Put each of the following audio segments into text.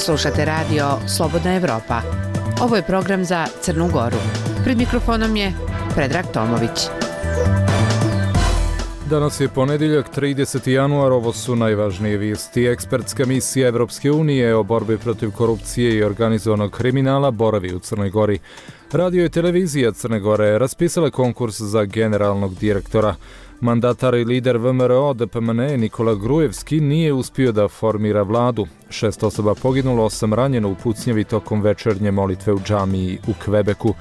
Slušate radio Slobodna Evropa. Ovo je program za Crnu Goru. Pred mikrofonom je Predrag Tomović. Danas je ponedjeljak, 30. januar, ovo su najvažnije vijesti. Ekspertska misija Evropske unije o borbi protiv korupcije i organizovanog kriminala boravi u Crnoj Gori. Radio i televizija Crne Gore raspisala konkurs za generalnog direktora. Mandatar i lider VMRO DPMN Nikola Grujevski nije uspio da formira vladu. 6 osoba poginulo, 8 ranjeno u pucnjavi tokom večernje molitve u džamiji u Kvebeku.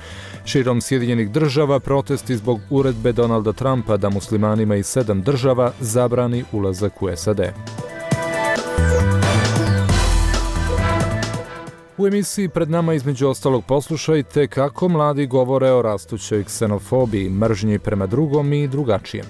Širom Sjedinjenih država protesti zbog uredbe Donalda Trumpa da muslimanima iz 7 država zabrani ulazak u SAD. U emisiji pred nama između ostalog poslušajte kako mladi govore o rastućoj ksenofobiji, mržnji prema drugom i drugačijem.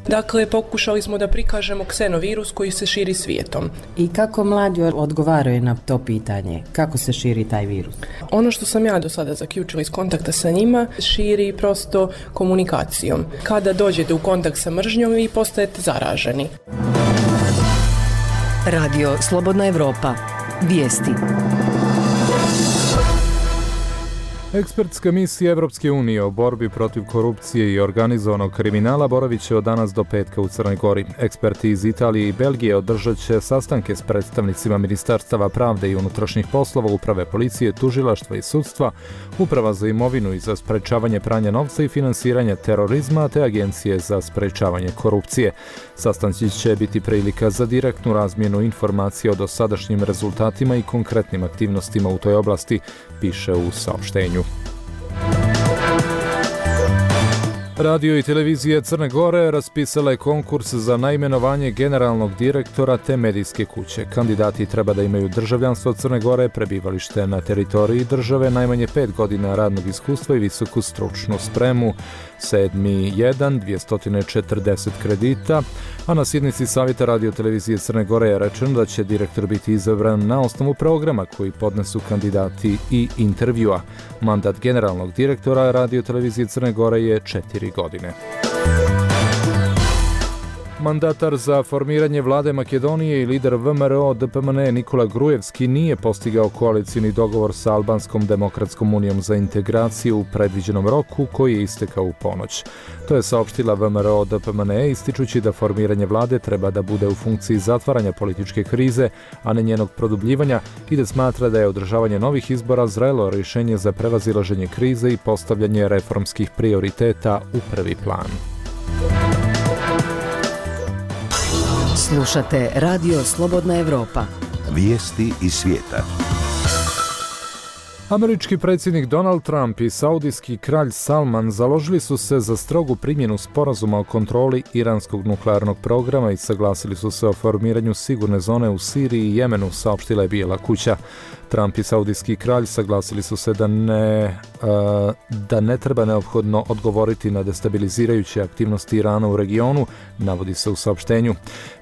Dakle, pokušali smo da prikažemo ksenovirus koji se širi svijetom. I kako mladi odgovaraju na to pitanje? Kako se širi taj virus? Ono što sam ja do sada zaključila iz kontakta sa njima, širi prosto komunikacijom. Kada dođete u kontakt sa mržnjom, vi postajete zaraženi. Radio Slobodna Evropa. Vijesti. Ekspertska misija Evropske unije o borbi protiv korupcije i organizovanog kriminala boravit će od danas do petka u Crnoj Gori. Eksperti iz Italije i Belgije održat će sastanke s predstavnicima Ministarstava pravde i unutrašnjih poslova, uprave policije, tužilaštva i sudstva, uprava za imovinu i za sprečavanje pranja novca i finansiranja terorizma, te agencije za sprečavanje korupcije. Sastanci će biti prilika za direktnu razmjenu informacija o dosadašnjim rezultatima i konkretnim aktivnostima u toj oblasti, piše u saopštenju. Radio i televizija Crne Gore raspisala je konkurs za naimenovanje generalnog direktora te medijske kuće. Kandidati treba da imaju državljanstvo Crne Gore, prebivalište na teritoriji države, najmanje 5 godina radnog iskustva i visoku stručnu spremu. 7.1. 240 kredita, a na sjednici Savjeta radio televizije Crne Gore je rečeno da će direktor biti izabran na osnovu programa koji podnesu kandidati i intervjua. Mandat generalnog direktora radio televizije Crne Gore je 4 godine. Mandatar za formiranje vlade Makedonije i lider VMRO DPMN Nikola Grujevski nije postigao koalicijni dogovor sa Albanskom demokratskom unijom za integraciju u predviđenom roku koji je istekao u ponoć. To je saopštila VMRO DPMN ističući da formiranje vlade treba da bude u funkciji zatvaranja političke krize, a ne njenog produbljivanja, i da smatra da je održavanje novih izbora zrelo rješenje za prevazilaženje krize i postavljanje reformskih prioriteta u prvi plan. Slušate Radio Slobodna Evropa. Vijesti iz svijeta. Američki predsjednik Donald Trump i saudijski kralj Salman založili su se za strogu primjenu sporazuma o kontroli iranskog nuklearnog programa i saglasili su se o formiranju sigurne zone u Siriji i Jemenu, saopštila je Bijela kuća. Trump i saudijski kralj saglasili su se da ne treba neophodno odgovoriti na destabilizirajuće aktivnosti Irana u regionu, navodi se u saopštenju.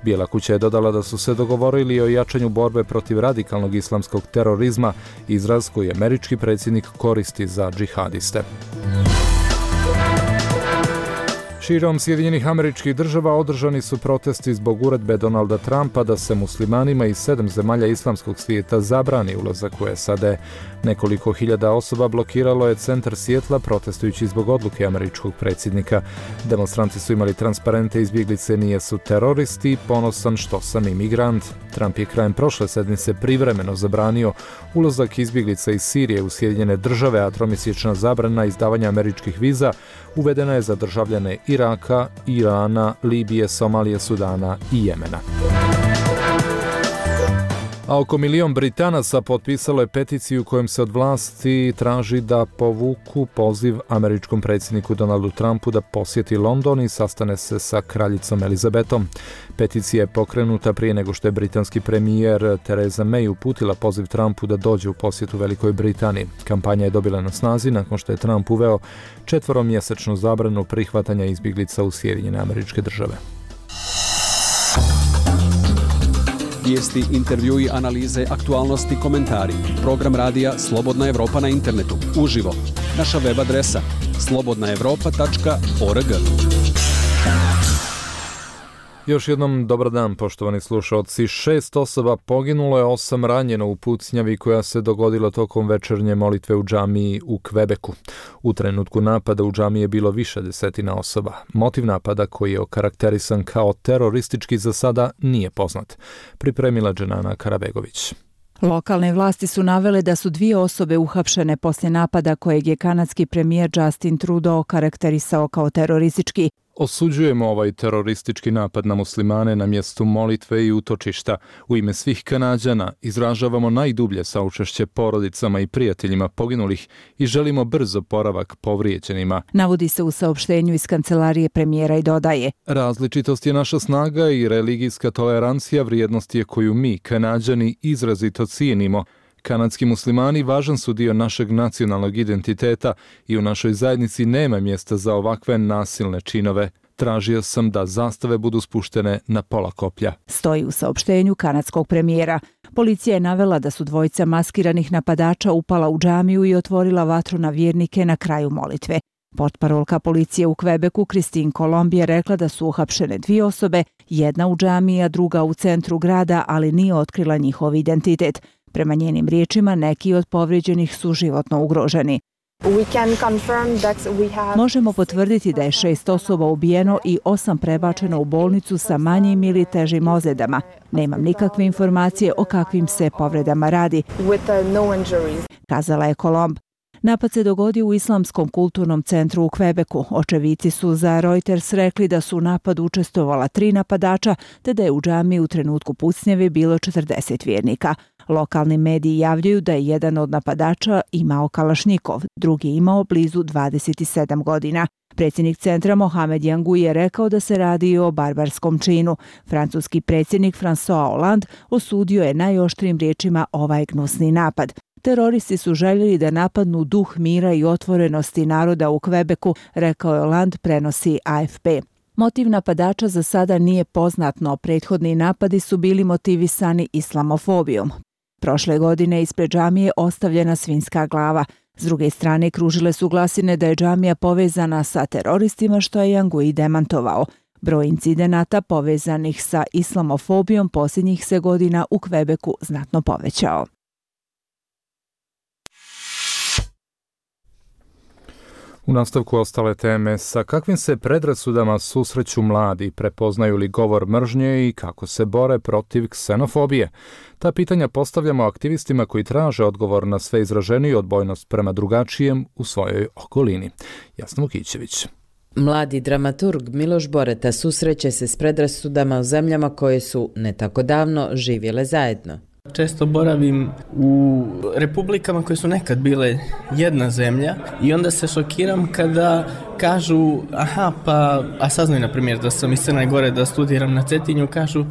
Bijela kuća je dodala da su se dogovorili o jačanju borbe protiv radikalnog islamskog terorizma, izraz koji američki predsjednik koristi za džihadiste. Širom Sjedinjenih Američkih Država održani su protesti zbog uredbe Donalda Trumpa da se muslimanima iz 7 zemalja islamskog svijeta zabrani ulazak u SAD. Nekoliko hiljada osoba blokiralo je centar Sijetla protestujući zbog odluke američkog predsjednika. Demonstranti su imali transparente "Izbjeglice nisu teroristi, ponosan što sam imigrant". Trump je krajem prošle sedmice privremeno zabranio ulazak izbjeglica iz Sirije u Sjedinjene Države, a tromjesečna zabrana izdavanja američkih viza uvedena je za državljane Iraka, Irana, Libije, Somalije, Sudana i Jemena. A oko 1 milion Britanaca potpisalo je peticiju kojom se od vlasti traži da povuku poziv američkom predsjedniku Donaldu Trumpu da posjeti London i sastane se sa kraljicom Elizabetom. Peticija je pokrenuta prije nego što je britanski premijer Theresa May uputila poziv Trumpu da dođe u posjetu Velikoj Britaniji. Kampanja je dobila na snazi nakon što je Trump uveo 4-mjesečnu zabranu prihvatanja izbjeglica u Sjedinjene Američke Države. Vijesti, intervjui, analize, aktualnosti, komentari. Program radija Slobodna Evropa na internetu. Uživo. Naša web adresa slobodnaevropa.org. Još jednom dobar dan, poštovani slušalci. 6 osoba poginulo je, 8 ranjeno u pucnjavi koja se dogodila tokom večernje molitve u džamiji u Kvebeku. U trenutku napada u džamiji je bilo više desetina osoba. Motiv napada, koji je okarakterisan kao teroristički, za sada nije poznat. Pripremila Dženana Karabegović. Lokalne vlasti su navele da su 2 osobe uhapšene poslije napada kojeg je kanadski premijer Justin Trudeau karakterisao kao teroristički. Osuđujemo ovaj teroristički napad na muslimane na mjestu molitve i utočišta. U ime svih Kanađana izražavamo najdublje saučešće porodicama i prijateljima poginulih i želimo brz oporavak povrijeđenima. Navodi se u saopštenju iz kancelarije premijera i dodaje: Različitost je naša snaga i religijska tolerancija vrijednost je koju mi, Kanađani, izrazito cijenimo. Kanadski muslimani važan su dio našeg nacionalnog identiteta i u našoj zajednici nema mjesta za ovakve nasilne činove. Tražio sam da zastave budu spuštene na pola koplja. Stoji u saopštenju kanadskog premijera. Policija je navela da su 2 maskiranih napadača upala u džamiju i otvorila vatru na vjernike na kraju molitve. Portparolka policije u Kvebeku Christine Colombi je rekla da su uhapšene 2 osobe, jedna u džamiji, a druga u centru grada, ali nije otkrila njihov identitet. Prema njenim riječima, neki od povrijeđenih su životno ugroženi. Možemo potvrditi da je 6 osoba ubijeno i 8 prebačeno u bolnicu sa manjim ili težim ozljedama. Nemam nikakve informacije o kakvim se povredama radi, kazala je Colomb. Napad se dogodio u Islamskom kulturnom centru u Kvebeku. Očevici su za Reuters rekli da su u napadu učestvovala 3 napadača, te da je u džamiji u trenutku pucnjave bilo 40 vjernika. Lokalni mediji javljaju da je jedan od napadača imao kalašnjikov, drugi imao blizu 27 godina. Predsjednik centra Mohamed Yangu je rekao da se radi o barbarskom činu. Francuski predsjednik François Hollande osudio je najoštrijim riječima ovaj gnusni napad. Teroristi su željeli da napadnu duh mira i otvorenosti naroda u Kvebeku, rekao je Hollande, prenosi AFP. Motiv napadača za sada nije poznat, no prethodni napadi su bili motivisani islamofobijom. Prošle godine ispred džamije ostavljena svinjska glava. S druge strane, kružile su glasine da je džamija povezana sa teroristima, što je Yangu demantovao. Broj incidenata povezanih sa islamofobijom posljednjih se godina u Kvebeku znatno povećao. U nastavku ostale teme, sa kakvim se predrasudama susreću mladi, prepoznaju li govor mržnje i kako se bore protiv ksenofobije? Ta pitanja postavljamo aktivistima koji traže odgovor na sve izraženiju odbojnost prema drugačijem u svojoj okolini. Jasna Vukićević. Mladi dramaturg Miloš Boreta susreće se s predrasudama u zemljama koje su ne tako davno živjele zajedno. Često boravim u republikama koje su nekad bile jedna zemlja i onda se šokiram kada kažu a saznaju na primjer da sam iz Crne Gore, da studiram na Cetinju, kažu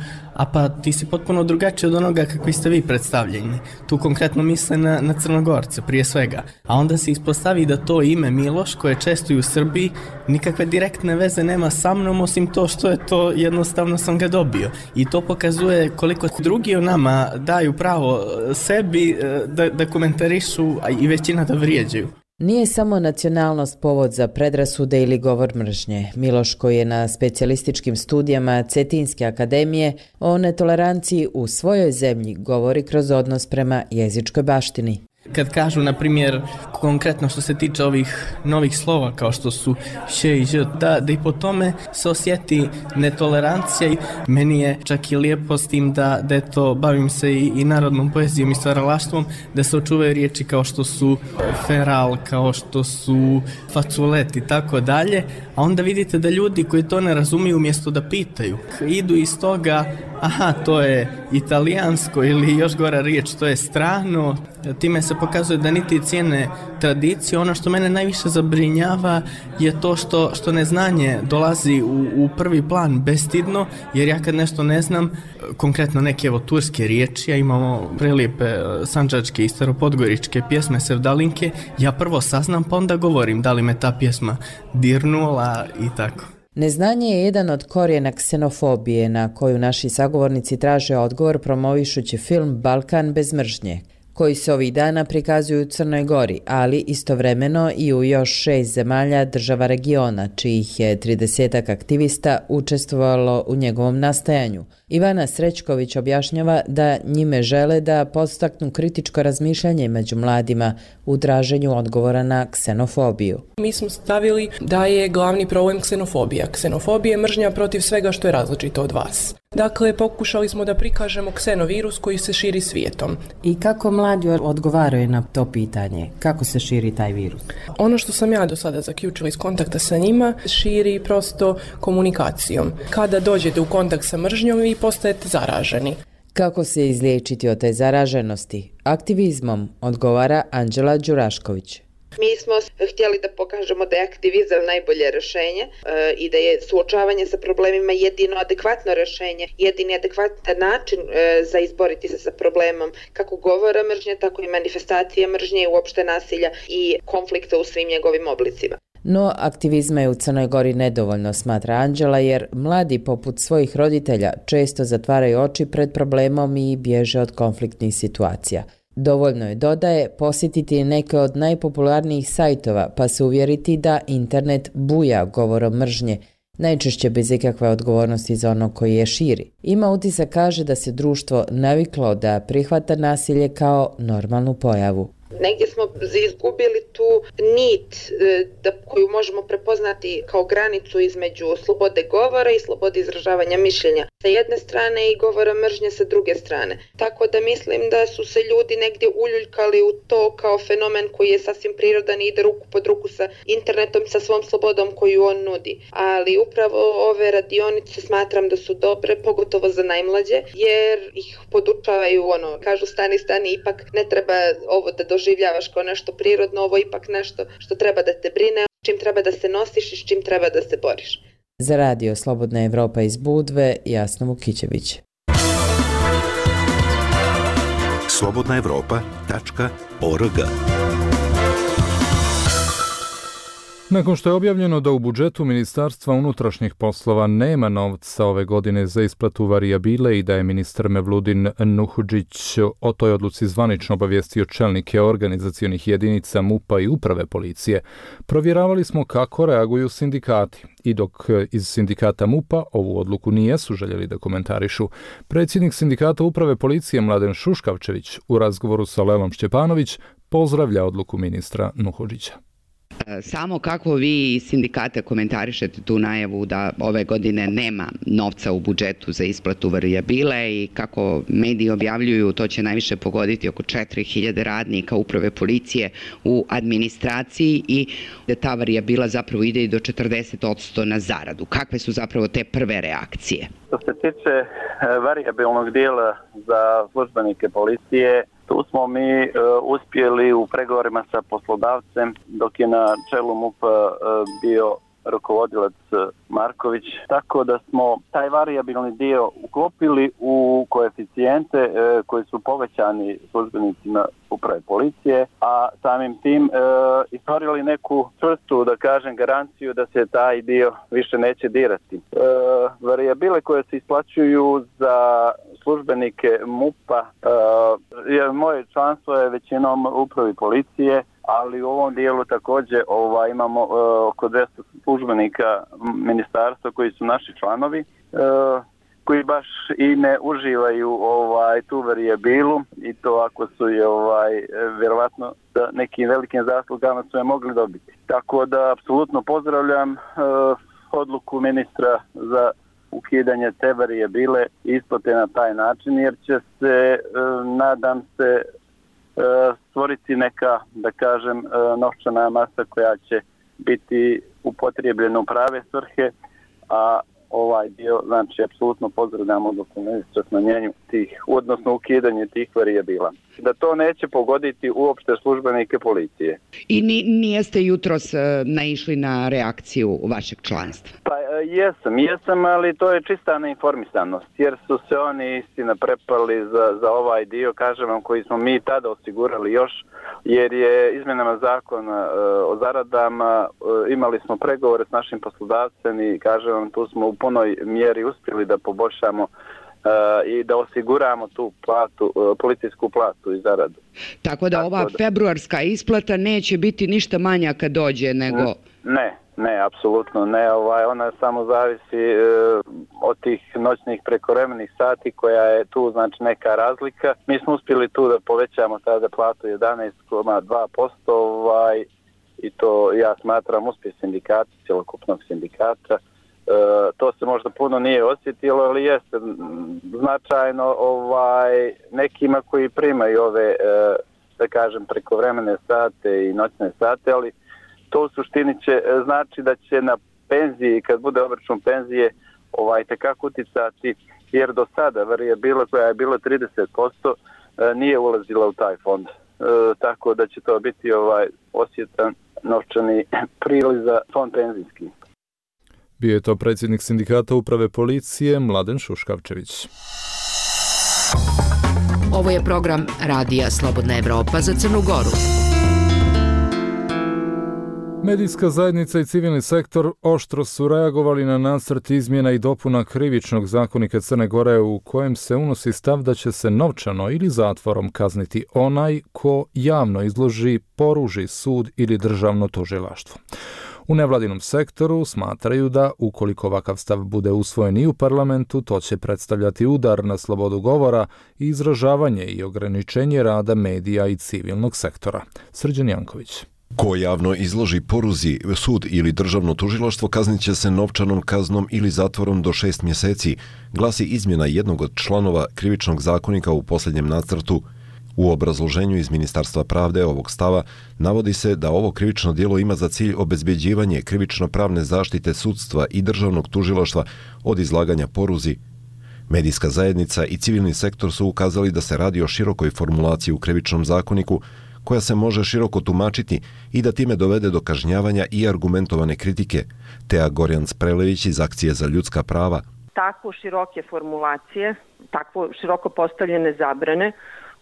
pa ti si potpuno drugačiji od onoga kakvi ste vi predstavljeni. Tu konkretno misle na Crnogorce prije svega. A onda se ispostavi da to ime Miloš, koje je često i u Srbiji, nikakve direktne veze nema sa mnom, osim to što je to jednostavno sam ga dobio. I to pokazuje koliko drugi o nama daju pravo sebi da komentarišu, a i većina da vrijeđaju. Nije samo nacionalnost povod za predrasude ili govor mržnje. Miloš, koji je na specijalističkim studijama Cetinske akademije, o netoleranciji u svojoj zemlji govori kroz odnos prema jezičkoj baštini. Kad kažu, na primjer, konkretno što se tiče ovih novih slova kao što su š i ž, da i po tome se osjeti netolerancija. Meni je čak i lijepo s tim da eto, bavim se i narodnom poezijom i stvaralaštvom, da se očuvaju riječi kao što su feral, kao što su faculet i tako dalje, a onda vidite da ljudi koji to ne razumiju, umjesto da pitaju, idu iz toga, to je italijansko ili još gora riječ, to je strano. Time se pokazuje da niti cijene tradicije. Ono što mene najviše zabrinjava je to što neznanje dolazi u prvi plan bestidno, jer ja kad nešto ne znam, konkretno neke turske riječi, a imamo prelijepe sandžačke i staropodgoričke pjesme sevdalinke, ja prvo saznam pa onda govorim da li me ta pjesma dirnula i tako. Neznanje je jedan od korijena ksenofobije na koju naši sagovornici traže odgovor promovišući film Balkan bez mržnje. koji se ovih dana prikazuju u Crnoj Gori, ali istovremeno i u još 6 zemalja država regiona, čijih je 30 aktivista učestvovalo u njegovom nastajanju. Ivana Srećković objašnjava da njime žele da podstaknu kritičko razmišljanje među mladima u traženju odgovora na ksenofobiju. Mi smo stavili da je glavni problem ksenofobija. Ksenofobija je mržnja protiv svega što je različito od vas. Dakle, pokušali smo da prikažemo ksenovirus koji se širi svijetom. I kako mladi odgovaraju na to pitanje? Kako se širi taj virus? Ono što sam ja do sada zaključila iz kontakta sa njima, širi prosto komunikacijom. Kada dođete u kontakt sa mržnjom, vi postajete zaraženi. Kako se izliječiti od te zaraženosti? Aktivizmom, odgovara Anđela Đurašković. Mi smo htjeli da pokažemo da je aktivizam najbolje rješenje i da je suočavanje sa problemima jedino adekvatno rješenje, jedini adekvatan način za izboriti se sa problemom kako govora mržnje, tako i manifestacije mržnje i uopšte nasilja i konflikta u svim njegovim oblicima. No, aktivizma je u Crnoj Gori nedovoljno, smatra Anđela, jer mladi poput svojih roditelja često zatvaraju oči pred problemom i bježe od konfliktnih situacija. Dovoljno je, dodaje, posjetiti neke od najpopularnijih sajtova pa se uvjeriti da internet buja govorom mržnje, najčešće bez ikakve odgovornosti za ono koji je širi. Ima utisak, kaže, da se društvo naviklo da prihvata nasilje kao normalnu pojavu. Negdje smo izgubili tu nit koju možemo prepoznati kao granicu između slobode govora i slobode izražavanja mišljenja sa jedne strane i govora mržnje sa druge strane. Tako da mislim da su se ljudi negdje uljuljkali u to kao fenomen koji je sasvim prirodan i ide ruku pod ruku sa internetom, sa svom slobodom koju on nudi. Ali upravo ove radionice smatram da su dobre, pogotovo za najmlađe, jer ih podučavaju, kažu stani, ipak ne treba ovo da doživljavaš kao nešto prirodno, ovo je ipak nešto što treba da te brine, s čim treba da se nosiš i s čim treba da se boriš. Za radio Slobodna Evropa iz Budve, Jasna Vukićević. slobodnaevropa.org. Nakon što je objavljeno da u budžetu Ministarstva unutrašnjih poslova nema novca ove godine za isplatu varijabile i da je ministar Mevludin Nuhudžić o toj odluci zvanično obavijestio čelnike organizacionih jedinica MUP-a i uprave policije, provjeravali smo kako reaguju sindikati. I dok iz sindikata MUP-a ovu odluku nijesu željeli da komentarišu, predsjednik sindikata uprave policije Mladen Šuškavčević u razgovoru sa Lelom Šćepanović pozdravlja odluku ministra Nuhudžića. Samo kako vi iz sindikata komentarišete tu najavu da ove godine nema novca u budžetu za isplatu varijabile i kako mediji objavljuju, to će najviše pogoditi oko 4000 radnika uprave policije u administraciji i da ta varijabila zapravo ide i do 40% na zaradu. Kakve su zapravo te prve reakcije? Što se tiče varijabilnog dijela za službenike policije, tu smo mi uspjeli u pregovorima sa poslodavcem dok je na čelu MUP-a bio rukovodilac Marković, tako da smo taj varijabilni dio uklopili u koeficijente koji su povećani službenicima uprave policije, a samim tim stvorili neku čvrstu, da kažem, garanciju da se taj dio više neće dirati. Varijabile koje se isplaćuju za službenike MUP-a, moje članstvo je većinom upravi policije, ali u ovom dijelu također imamo oko 200 službenika ministarstva koji su naši članovi, koji baš i ne uživaju tu varijabilu i to ako su je vjerovatno da nekim velikim zaslugama su je mogli dobiti. Tako da apsolutno pozdravljam odluku ministra za ukidanje te varijabile isplate na taj način, jer će se, nadam se, stvoriti neka, da kažem, novčana masa koja će biti upotrijebljena u prave svrhe, a ovaj dio, znači, apsolutno pozdravljamo odluku ministra smanjenju tih, odnosno ukidanje tih varijabila. Da to neće pogoditi uopšte službenike policije. I nijeste jutros naišli na reakciju vašeg članstva? Pa jesam, ali to je čista neinformisanost, jer su se oni istina prepali za ovaj dio, kažem vam, koji smo mi tada osigurali još, jer je izmjenama zakona o zaradama imali smo pregovore s našim poslodavcem i kažem vam, tu smo u punoj mjeri uspjeli da poboljšamo i da osiguramo tu platu, policijsku platu i zaradu. Tako da ova februarska isplata neće biti ništa manja kad dođe nego... Ne, apsolutno ne. Ona samo zavisi od tih noćnih prekovremenih sati koja je tu, znači neka razlika. Mi smo uspjeli tu da povećamo tada platu 11,2%, i to ja smatram uspjeh sindikata, cjelokupnog sindikata. To se možda puno nije osjetilo, ali jeste značajno nekima koji primaju ove, da kažem, prekovremene sate i noćne sate, ali to u suštini će znači da će na penziji, kad bude obračun penzije, tekako uticati, jer do sada varijabila koja je bila 30% nije ulazila u taj fond. Tako da će to biti osjetan novčani priliv za fond penzijski. Bio je to predsjednik sindikata uprave policije Mladen Šuškavčević. Ovo je program Radija Slobodna Evropa za Crnu Goru. Medijska zajednica i civilni sektor oštro su reagovali na nacrt izmjena i dopuna Krivičnog zakonika Crne Gore u kojem se unosi stav da će se novčano ili zatvorom kazniti onaj ko javno izloži, poruži sud ili državno tužilaštvo. U nevladinom sektoru smatraju da ukoliko ovakav stav bude usvojen i u parlamentu, to će predstavljati udar na slobodu govora i izražavanje i ograničenje rada medija i civilnog sektora. Srđan Janković. Ko javno izloži, poruzi sud ili državno tužilaštvo kaznit će se novčanom kaznom ili zatvorom do 6 mjeseci, glasi izmjena jednog od članova Krivičnog zakonika u posljednjem nacrtu. U obrazloženju iz Ministarstva pravde ovog stava navodi se da ovo krivično djelo ima za cilj obezbjeđivanje krivično-pravne zaštite sudstva i državnog tužilaštva od izlaganja poruzi. Medijska zajednica i civilni sektor su ukazali da se radi o širokoj formulaciji u Krivičnom zakoniku koja se može široko tumačiti i da time dovede do kažnjavanja i argumentovane kritike. Tea Gorjanc-Prelević iz Akcije za ljudska prava. Tako široke formulacije, tako široko postavljene zabrane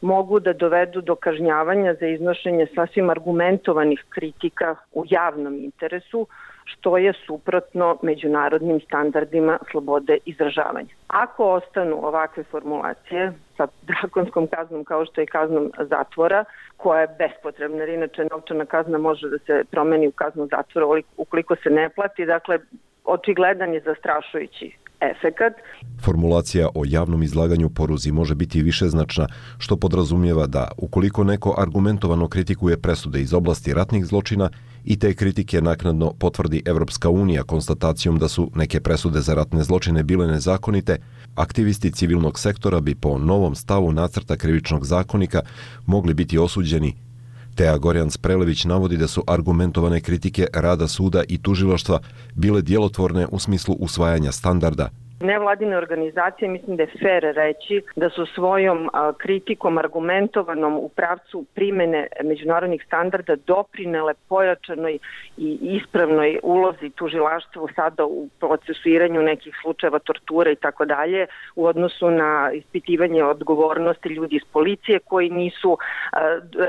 mogu da dovedu do kažnjavanja za iznošenje sasvim argumentovanih kritika u javnom interesu, što je suprotno međunarodnim standardima slobode izražavanja. Ako ostanu ovakve formulacije sa drakonskom kaznom kao što je kaznom zatvora, koja je bespotrebna, jer inače novčana kazna može da se promeni u kaznu zatvora ukoliko se ne plati, dakle očigledan je zastrašujući efekat. Formulacija o javnom izlaganju poruzi može biti višeznačna, što podrazumijeva da ukoliko neko argumentovano kritikuje presude iz oblasti ratnih zločina i te kritike naknadno potvrdi Evropska unija konstatacijom da su neke presude za ratne zločine bile nezakonite, aktivisti civilnog sektora bi po novom stavu nacrta Krivičnog zakonika mogli biti osuđeni. Tea Gorjanc-Prelević navodi da su argumentovane kritike rada suda i tužilaštva bile djelotvorne u smislu usvajanja standarda. Nevladine organizacije, mislim da je fair reći da su svojom kritikom argumentovanom u pravcu primjene međunarodnih standarda doprinele pojačanoj i ispravnoj ulozi tužilaštva sada u procesuiranju nekih slučajeva torture i tako dalje u odnosu na ispitivanje odgovornosti ljudi iz policije koji nisu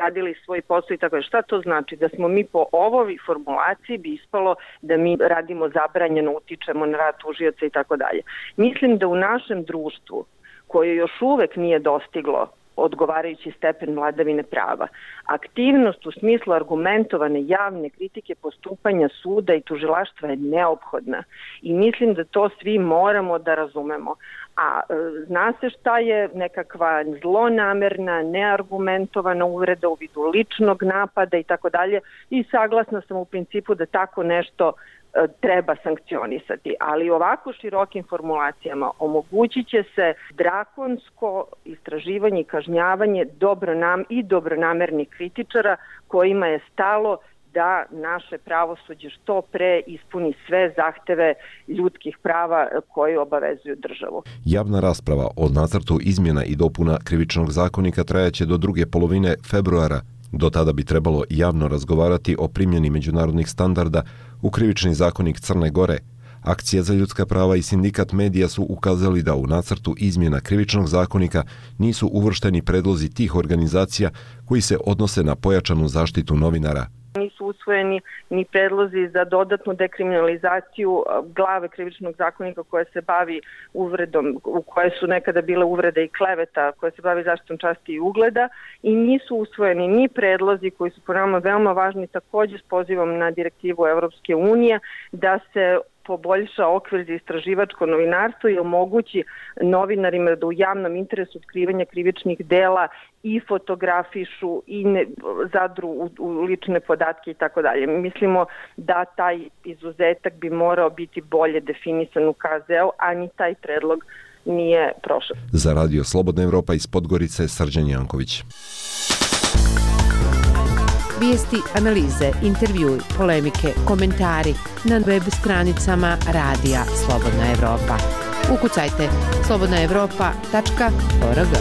radili svoj posao i tako dalje. Šta to znači? Da smo mi po ovoj formulaciji bi ispalo da mi radimo zabranjeno, utičemo na rad tužioca i tako dalje. Mislim da u našem društvu, koje još uvek nije dostiglo odgovarajući stepen vladavine prava, aktivnost u smislu argumentovane javne kritike postupanja suda i tužilaštva je neophodna i mislim da to svi moramo da razumemo. A zna se šta je nekakva zlonamerna, neargumentovana uvreda u vidu ličnog napada i tako dalje i saglasna sam u principu da tako nešto treba sankcionisati, ali ovako širokim formulacijama omogućit će se drakonsko istraživanje i kažnjavanje dobronamernih kritičara kojima je stalo da naše pravosuđe što pre ispuni sve zahteve ljudskih prava koje obavezuju državu. Javna rasprava o nacrtu izmjena i dopuna Krivičnog zakonika trajaće do druge polovine februara. Do tada bi trebalo javno razgovarati o primjeni međunarodnih standarda u Krivični zakonik Crne Gore. Akcija za ljudska prava i sindikat medija su ukazali da u nacrtu izmjena Krivičnog zakonika nisu uvršteni predlozi tih organizacija koji se odnose na pojačanu zaštitu novinara. Nisu usvojeni ni predlozi za dodatnu dekriminalizaciju glave krivičnog zakonika koja se bavi uvredom, u koje su nekada bile uvrede i kleveta, koja se bavi zaštitom časti i ugleda, i nisu usvojeni ni predlozi koji su po nama veoma važni, također s pozivom na direktivu Evropske unije, da se poboljša okvir za istraživačko novinarstvo i omogući novinarima da u javnom interesu otkrivanja krivičnih dela i fotografišu i zadru u lične podatke i tako dalje. Mislimo da taj izuzetak bi morao biti bolje definisan u KZ-u, a ni taj predlog nije prošao. Za Radio Slobodna Evropa iz Podgorice, Srđan Janković. Vijesti, analize, intervjui, polemike, komentari na web stranicama Radija Slobodna Evropa. Ukucajte slobodnaevropa.org.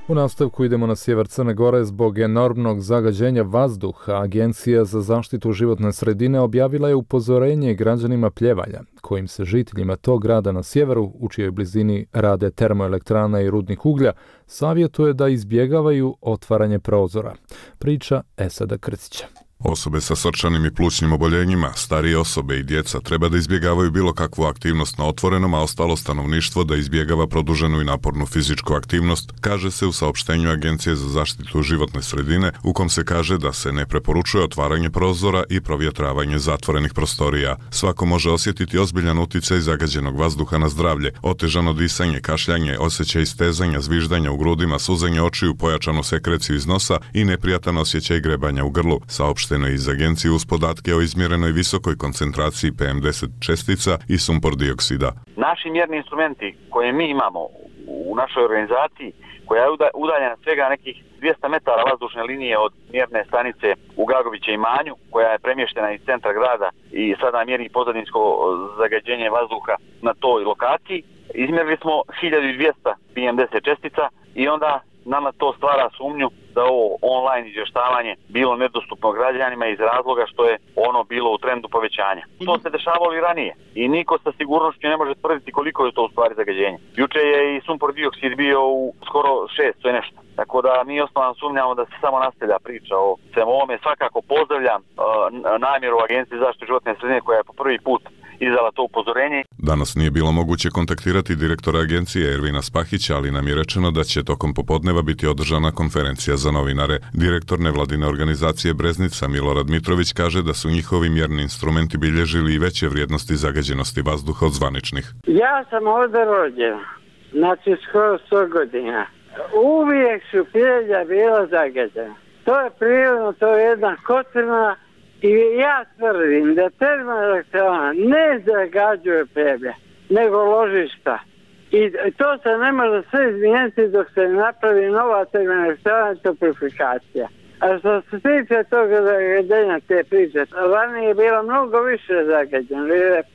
U nastavku idemo na sjever Crne Gore. Zbog enormnog zagađenja vazduha, Agencija za zaštitu životne sredine objavila je upozorenje građanima Pljevalja, kojim se žiteljima tog grada na sjeveru, u čijoj blizini rade termoelektrana i rudnik uglja, savjetuje da izbjegavaju otvaranje prozora. Priča Esada Krcića. Osobe sa srčanim i plućnim oboljenjima, starije osobe i djeca treba da izbjegavaju bilo kakvu aktivnost na otvorenom, a ostalo stanovništvo da izbjegava produženu i napornu fizičku aktivnost, kaže se u saopštenju Agencije za zaštitu životne sredine, u kom se kaže da se ne preporučuje otvaranje prozora i provjetravanje zatvorenih prostorija. Svako može osjetiti ozbiljan uticaj zagađenog vazduha na zdravlje, otežano disanje, kašljanje, osjećaj stezanja, zviždanja u grudima, suzanje očiju, pojačanu sekreciju iz nosa i neprijatan osjećaj grebanja u grlu, saopšteno iz Agencije uz podatke o izmjerenoj visokoj koncentraciji PM10 čestica i sumpor dioksida. Naši mjerni instrumenti koje mi imamo u našoj organizaciji, koja je udaljena svega nekih 200 metara vazdušne linije od mjerne stanice u Gagoviće i Manju, koja je premještena iz centra grada i sada mjeri pozadinsko zagađenje vazduha na toj lokaciji, izmjerili smo 1200 PM10 čestica i onda nama to stvara sumnju da ovo online izvještavanje bilo nedostupno građanima iz razloga što je ono bilo u trendu povećanja. To se dešavalo i ranije i niko sa sigurnošću ne može tvrditi koliko je to u stvari zagađenje. Juče je i sumpor dioksid bio u skoro 6, to je nešto. Tako da mi osnovno sumnjamo da se samo nastavlja priča o svemu ovome. Svakako pozdravljam namjeru Agencije za zaštitu životne sredine koja je po prvi put izdala to upozorenje. Danas nije bilo moguće kontaktirati direktora agencije Ervina Spahića, ali nam je rečeno da će tokom popodneva biti održana konferencija za novinare. Direktor nevladine organizacije Breznica Milorad Mitrović kaže da su njihovi mjerni instrumenti bilježili i veće vrijednosti zagađenosti vazduha od zvaničnih. Ja sam ovdje rođen, znači skoro 100 godina. Uvijek su Pljelja bila zagađena. To je prirodno, to je jedna kotrina. I ja tvrdim da termoelektrana ne zagađuje Pljevalje, nego ložišta. I to se ne može sve izmijeniti dok se ne napravi nova termoelektrana i toplifikacija. A što se tiče toga zagađenja te priče, ranije je bilo mnogo više zagađeno.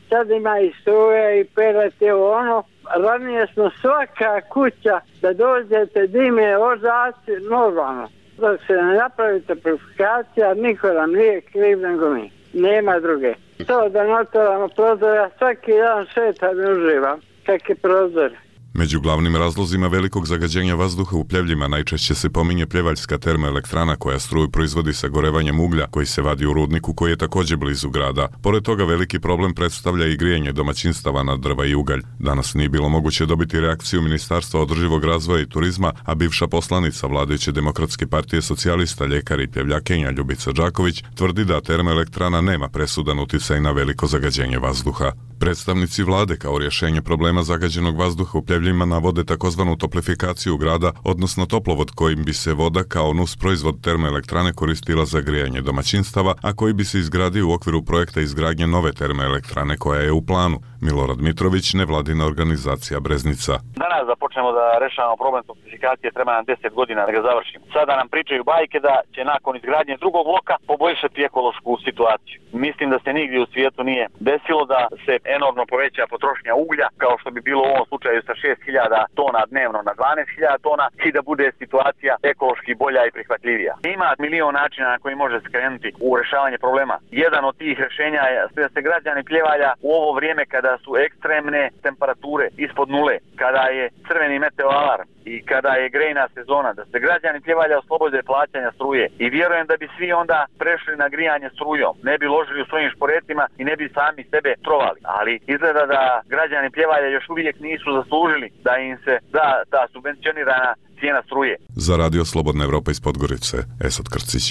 Sad ima i struje i pelet je ono. Ranije smo svaka kuća da dođete dime ožaci normalno. Dok se ne napravi toplifikacija, niko nam nije kriv nego mi. Nema druge. To da ne otvaramo prozor, ja svaki dan šetam i uživam. Kakve prozore. Među glavnim razlozima velikog zagađenja vazduha u Pljevljima najčešće se pominje pljevaljska termoelektrana koja struju proizvodi sa gorevanjem uglja koji se vadi u rudniku koji je također blizu grada. Pored toga veliki problem predstavlja i grijanje domaćinstava na drva i ugalj. Danas nije bilo moguće dobiti reakciju Ministarstva održivog razvoja i turizma, a bivša poslanica vladajuće Demokratske partije socijalista, ljekar i pljevljakinja Ljubica Đaković tvrdi da termoelektrana nema presudan uticaj na veliko zagađenje vazduha. Predstavnici vlade kao rješenje problema zagađenog vazduha u Pljevljima navode takozvanu toplifikaciju grada, odnosno toplovod kojim bi se voda kao nus proizvod termoelektrane koristila za grijanje domaćinstava, a koji bi se izgradio u okviru projekta izgradnje nove termoelektrane koja je u planu. Milorad Mitrović, nevladina organizacija Breznica. Danas da počnemo da rešavamo problem toplifikacije, treba nam 10 godina da ga završimo. Sada nam pričaju bajke da će nakon izgradnje drugog bloka poboljšati ekološku situaciju. Mislim da se nigdje u svijetu nije desilo da se enormno poveća potrošnja uglja, kao što bi bilo u ovom slučaju sa 6.000 tona dnevno na 12.000 tona i da bude situacija ekološki bolja i prihvatljivija. Ima milion načina na koji može skrenuti u rešavanje problema. Jedan od tih rješenja je da se građani Pljevalja u ovo vrijeme kada su ekstremne temperature ispod nule, kada je crveni meteo alarm, i kada je grejna sezona, da se građani Pljevalja oslobode plaćanja struje i vjerujem da bi svi onda prešli na grijanje strujom, ne bi ložili u svojim šporetima i ne bi sami sebe trovali. Ali izgleda da građani Pljevalja još uvijek nisu zaslužili da im se da ta subvencionirana cijena struje. Za Radio Slobodna Evropa iz Podgorice, Esad Krcić.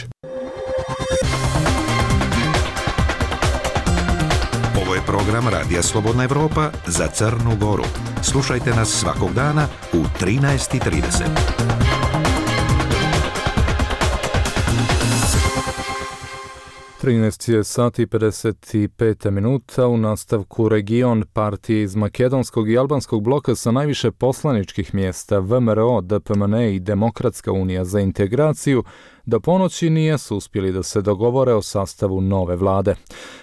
Ovo je program Radija Slobodna Evropa za Crnu Goru. Slušajte nas svakog dana u 13:30. 13 sati i 55 minuta. U nastavku region partije iz makedonskog i albanskog bloka sa najviše poslaničkih mjesta VMRO, DPMN i Demokratska unija za integraciju do ponoći nisu uspjeli da se dogovore o sastavu nove vlade.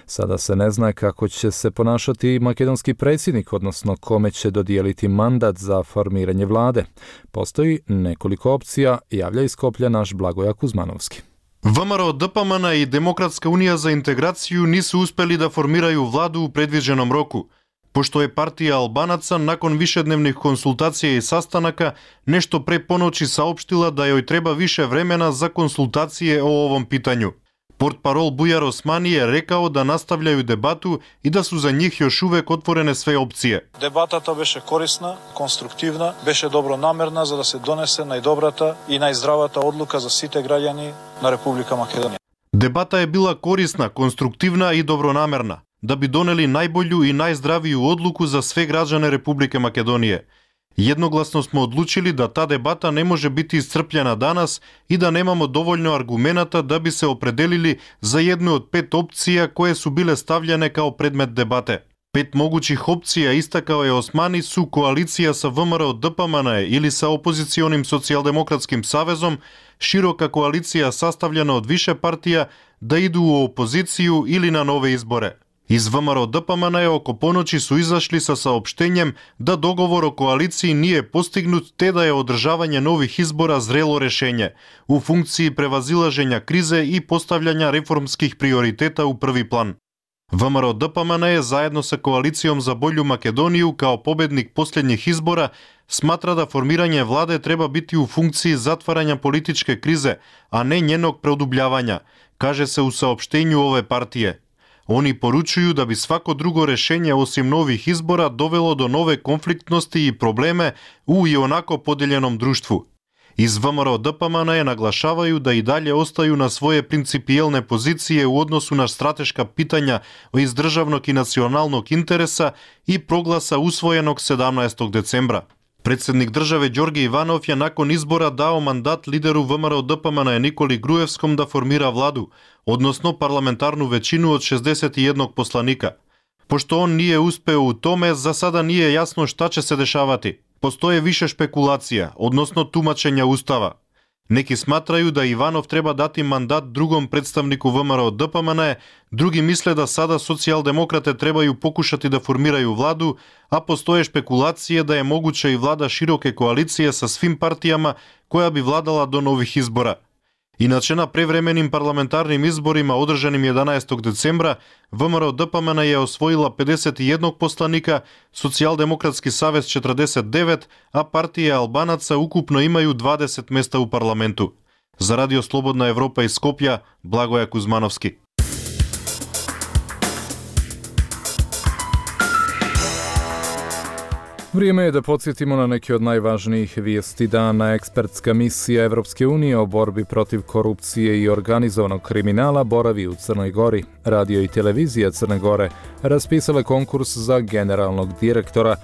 Sada se ne zna kako će se ponašati makedonski predsjednik, odnosno kome će dodijeliti mandat za formiranje vlade. Postoji nekoliko opcija, javlja iz Skoplja naš Blagoja Kuzmanovski. VMRO, DPMN i Demokratska unija za integraciju nisu uspjeli da formiraju vladu u predviđenom roku, pošto je partija Albanaca nakon višednevnih konsultacija i sastanaka nešto pre ponoći saopštila da joj treba više vremena za konsultacije o ovom pitanju. Portparol Bujar Osmani je rekao da nastavljaju debatu i da su za njih još uvek otvorene sve opcije. Дебатата беше корисна, конструктивна, беше добронамерна за да се донесе најдобрата и најздравата одлука за сите граѓани на Република Македонија. Дебата е била корисна, конструктивна и добронамерна, да би донели најболju и најздравiju одлуку за све граđane Републике Македонije. Jednoglasno smo odlučili da ta debata ne može biti iscrpljena danas i da nemamo dovoljno argumenata da bi se opredelili za jednu od 5 opcija koje su bile stavljene kao predmet debate. 5 mogućih opcija, istakao je Osmani, su koalicija sa VMRO DPMN ili sa opozicionim socijaldemokratskim savezom, široka koalicija sastavljena od više partija, da idu u opoziciju ili na nove izbore. Iz VMRO DPMN oko ponoći su izašli sa saopštenjem da dogovor o koaliciji nije postignut te da je održavanje novih izbora zrelo rešenje u funkciji prevazilaženja krize i postavljanja reformskih prioriteta u prvi plan. VMRO DPMN je zajedno sa koalicijom za bolju Makedoniju kao pobednik posljednjih izbora smatra da formiranje vlade treba biti u funkciji zatvaranja političke krize, a ne njenog produbljavanja, kaže se u saopštenju ove partije. Oni poručuju da bi svako drugo rešenje osim novih izbora dovelo do nove konfliktnosti i probleme u i onako podeljenom društvu. Iz VMRO DPMN naglašavaju da i dalje ostaju na svoje principijelne pozicije u odnosu na strateška pitanja iz državnog i nacionalnog interesa i proglasa usvojenog 17. decembra. Predsjednik države Đorđe Ivanov je nakon izbora dao mandat lideru VMRO DPMN Nikoli Grujevskom da formira vladu, odnosno parlamentarnu većinu od 61 poslanika. Pošto on nije uspeo u tome, za sada nije jasno šta će se dešavati. Postoje više špekulacija, odnosno tumačenja ustava. Neki smatraju da Ivanov treba dati mandat drugom predstavniku VMRO DPMN, drugi misle da sada socijaldemokrate trebaju pokušati da formiraju vladu, a postoje špekulacije da je moguća i vlada široke koalicije sa svim partijama koja bi vladala do novih izbora. Inače, na prevremenim parlamentarnim izborima održanim 11. decembra, VMRO DPMN je osvojila 51 poslanika, Socijaldemokratski savez 49, a partije Albanaca ukupno imaju 20 mesta u parlamentu. Za Radio Slobodna Evropa iz Skoplja, Blagoja Kuzmanovski. Vrijeme je da podsjetimo na neke od najvažnijih vijesti dana. Ekspertska misija Evropske unije o borbi protiv korupcije i organizovanog kriminala boravi u Crnoj Gori. Radio i televizija Crne Gore raspisale konkurs za generalnog direktora.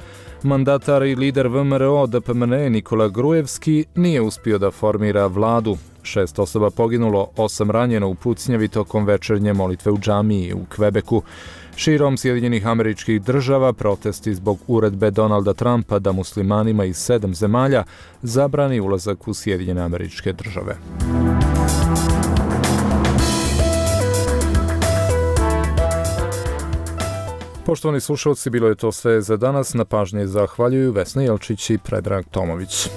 Mandatar i lider VMRO DPMN Nikola Grujevski nije uspio da formira vladu. 6 osoba poginulo, 8 ranjeno u pucnjavi tokom večernje molitve u džamiji u Kvebeku. Širom Sjedinjenih Američkih Država protesti zbog uredbe Donalda Trumpa da muslimanima iz 7 zemalja zabrani ulazak u Sjedinjene Američke Države. Poštovani slušalci, bilo je to sve za danas. Na pažnji zahvaljuju Vesna Jelčić i Predrag Tomović.